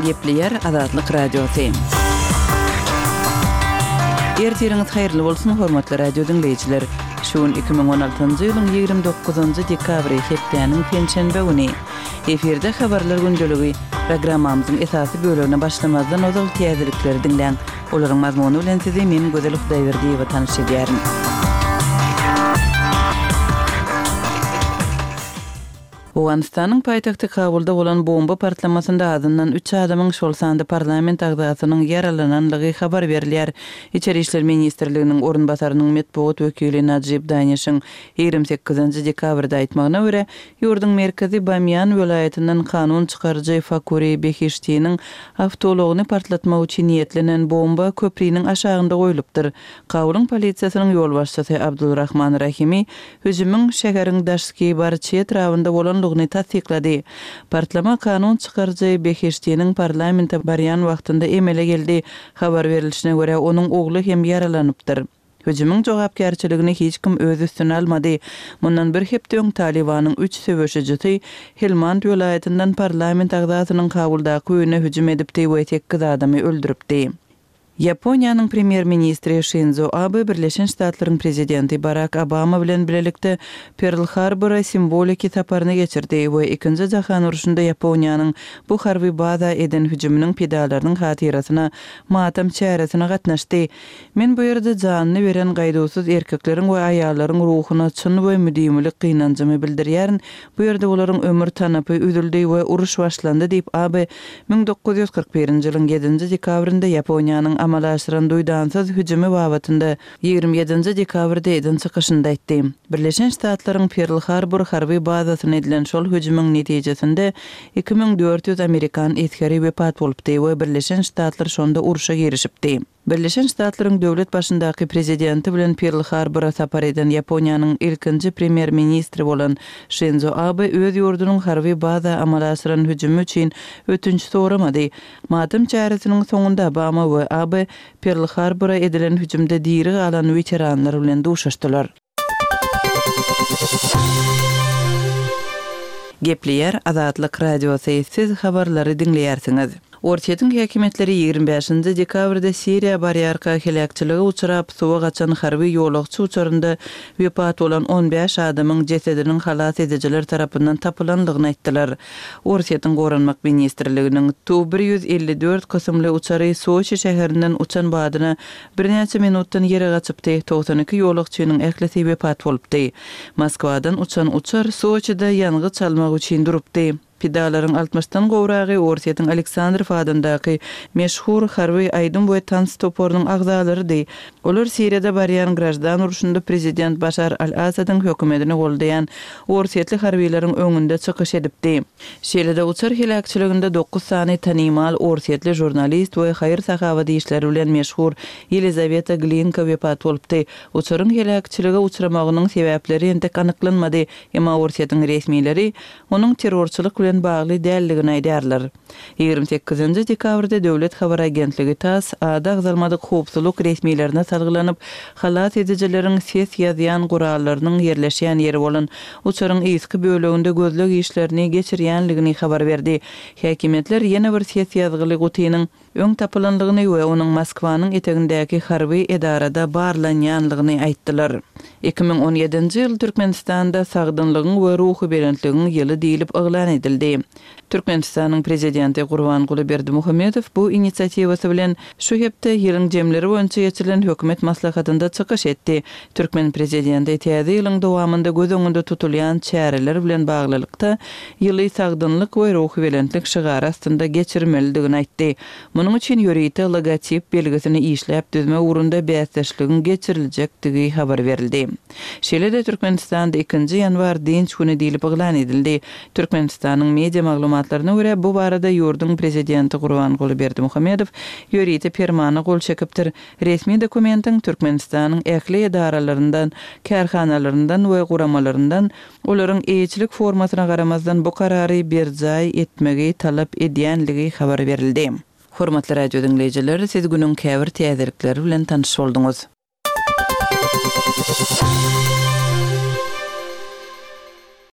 Gepleýär Azatlyk Radiosy. Ertiriňiz haýyrly bolsun, hormatly radio diňleýjiler! Şu gün 2016-njy ýylyň 29-njy dekabry, hepdäniň penşenbe güni. Efirde Habarlar gündeligi. Programmamyzyň esasy bölegine başlamazdan ozal täzelikleri diňläň. Olaryň mazmuny bilen sizi men Gözel Hudaýberdiýewa tanyş edýärin. Owganystanyň paýtagty Kabulda bolan bomba partlamasynda azyndan üç adamyň, şol sanda parlament agzasynyň ýaralananlygy habar berilýär. Içeri işler ministrliginiň orunbasarynyň metbugat wekili Najib Danişiň 28 dekabrda aýtmagyna görä, ýurduň merkezi Bamýan welaýatyndan kanun çykaryjy Fakuri Behiştiniň awtoulagyny partlatmak üçin niýetlenen bomba köpriniň aşagynda goýlupdyr. Kabulyň polisiýasynyň ýolbaşçysy Abdulrahman Rahimi hüjümiň şäheriň Daşki Barçy etrabynda bolandygyny tassyklady. Partlama kanun çykaryjy Behiştiniň parlamente barýan wagtynda emele geldi. Habar berlişine görä, onuň ogly hem ýaralanypdyr. Hüjümiň jogapkärçiligini hiç kim öz üstüne almady. Mundan bir hepde öň Talybanyň üç söweşijisi Helmand welaýatyndan parlament agzasynyň Kabuldaky öýüne hüjüm edipdi we sekiz adamy öldüripdi. Ýaponiýanyň premýer-ministri Şinzo Abe Birleşen Ştatlaryň prezidenti Barak Obama bilen bilelikde Perl-Harbora simwoliki saparyny geçirdi we Ikinji jahan urşunda Ýaponiýanyň bu harby baza eden hüjüminiň pidalarynyň hatyrasyna matam çäresine gatnaşdy. Men bu ýerde janyny beren gaýduwsyz erkekleriň we aýallaryň ruhuna çyn we müdimilik gynanjymy bildirýärin, bu ýerde olaryň ömür tanapy üzüldi we uruş başlandy diýip, Abe 1941-nji ýylyň ýedinji dekabrynda Ýaponiýanyň amala aşyran duýdansyz hüjümi babatynda 27-nji dekabrda eden çykyşynda aýtdy. Birleşen Ştatlaryň Perl-Harbor harby bazasyna edilen şol hüjümiň netijesinde 2400 amerikan esgeri wepat bolupdy we Birleşen Ştatlar şonda urşa girişipdi. Birleşen Ştatlaryň döwlet başyndaky prezidenti bilen Perl-Harbora sapar eden Ýaponiýanyň ilkinji premýer-ministri bolan Şinzo Abe öz ýurdunyň harby baza amala aşyran hüjümi üçin ötünç soramady. Matam çäresiniň soňunda Obama we Abe Perl-Harbora edilen hüjümde diri galan weteranlar bilen duşuşdylar. Gepleýär Azatlyk Radiosy, Siz habarlary diňleýärsiňiz. Orsýetiň häkimiýetleri 25-nji dekabrda Siriýa barýarka heläkçilige uçrap, suwa gaçan harby ýolagçy uçarynda wepat bolan 15 adamyň jesediniň halas edijiler tarapyndan tapylandygyny aýtdylar. Orsýetiň Goranmak ministrliginiň Tu 154 kysymly uçary Soçi şäherinden uçan badyna Birnäçe minutdan ýere gaçypdy, 92 ýolagçynyň ählisi wepat bolupdy. Moskwadan uçan uçar Soçide ýangyç almak üçin durupdy. Pidalaryň altmyşdan gowragy Orsýetiň Aleksandrow adyndaky meşhur harby aýdym we tans toparynyň agzalarydy. Olar Siriýada barýan graždan urşunda prezident Başar al-Asadyň hökümetini goldaýan orsýetli harbylaryň öňünde çykyş edipdi. Şeýle-de uçar heläkçiliginde dokuz sany tanymal orsýetli žurnalist we haýyr-sahawat işleri bilen meşhur Ýelizaweta Glinka wepat bolupdy. Uçaryň heläkçilige uçramagynyň sebäpleri entek anyklanmady, emma Orsýetiň resmileri onuň terrorçylyk bilen bagly däldigini aýdýarlar. 28-nji dekabrda döwlet habar agentligi tass ady agzalmadyk howpsuzlyk resmilerine salgylanyp, halas edijileriň ses ýazýan gurallarynyň ýerleşýän ýeri bolan uçaryň yzky böleginde gözleg işlerini geçirýänligini habar berdi. Häkimiýetler ýene bir ses ýazgyly gutynyň öň tapylanlygyny we onuň Moskwanyň etegindäki harby edarada barlanýanlygyny aýtdylar. 2017-nji ýyl Türkmenistanda Sagdynlygyň we ruhubelentligiň ýyly diýlip yglan edildi. Türkmenistanyň Prezidenti Gurbanguly Berdimuhamedow bu inisiatiwasy bilen şu hepde ýylyň jemleri boýunça geçirilen hökümet maslahatynda çykyş etdi. Türkmen Prezidenti täze ýylyň dowamynda göz öňünde tutulýan çäreler bilen baglylykda, ýyly sagdynlyk we ruhubelentlik şygary astynda geçirmelidigini aýtdy. Munuň üçin ýörite logotip belgisini işläp düzmek ugrunda bäsdeşligiň geçiriljekdigi habar berildi. Şeýle-de Türkmenistanda ikinji ýanwar dynç güni diýlip yglan edildi. Türkmenistanyň media maglumatlaryna görä, bu barada ýurduň prezidenti Gurbanguly Berdimuhamedow ýörite permana gol çekipdir. Resmi dokumentiň Türkmenistanyň ähli edaralaryndan, kärhanalaryndan we guramalaryndan olaryň eýeçilik formasyna garamazdan bu karary berjaý etmegi talap edýänligi habar berildi. Hormatly radio diňleýjiler, siz günüň käbir täzelikleri bilen tanyş bolduňyz.